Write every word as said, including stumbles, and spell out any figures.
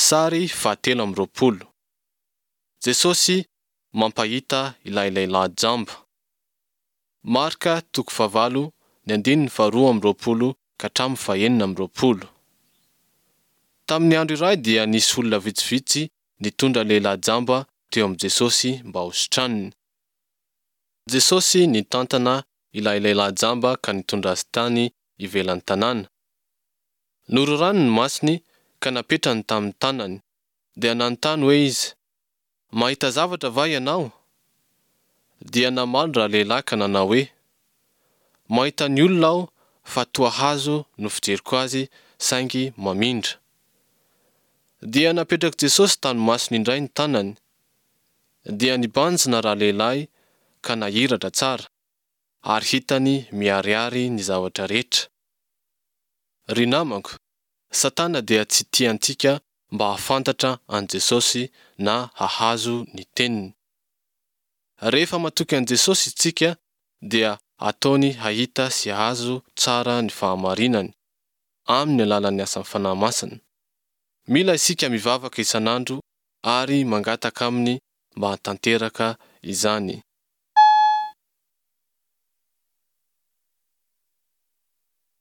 Sary fahatelo amby roapolo. Jesosy mampahita ilay lehilahy jamba. Marka toko fahavalo ny andininy faharoa amby roapolo ka hatramin'ny fahenina amby roapolo. Tamin'ny andro iray dia nisy olona vitsivitsy nitondra lehilahy jamba teo amin'i Jesosy mba hositraniny. Jesosy nitantana ilay lehilahy jamba ka nitondra azy tany ivelan'ny tanàna. Nororany ny masony ka napetrany tamin'ny tanany, dia nanontany hoe izy, "Mahita zavatra va ianao?" Dia namaly ralehilahy ka nanao hoe, "Mahita ny olona aho fa toa hazo no fijeriko azy saingy mamindra." Dia napetrak'i Jesosy tamin'ny masony indray ny tanany. Dia nibanjina ralehilahy ka nahiratra tsara, ary hitany miharihary ny zavatra rehetra. Ry namako, Satana dia tsy tia antsika mba hahafantatra an'i Jesosy na hahazo ny teniny. Rehefa matoky an'i Jesosy isika dia ataony hahita sy hahazo tsara ny fahamarinany, amin'ny alalan'ny asan'ny Fanahy Masina. Mila isika mivavaka isan'andro ary mangataka Aminy mba hahatanteraka izany.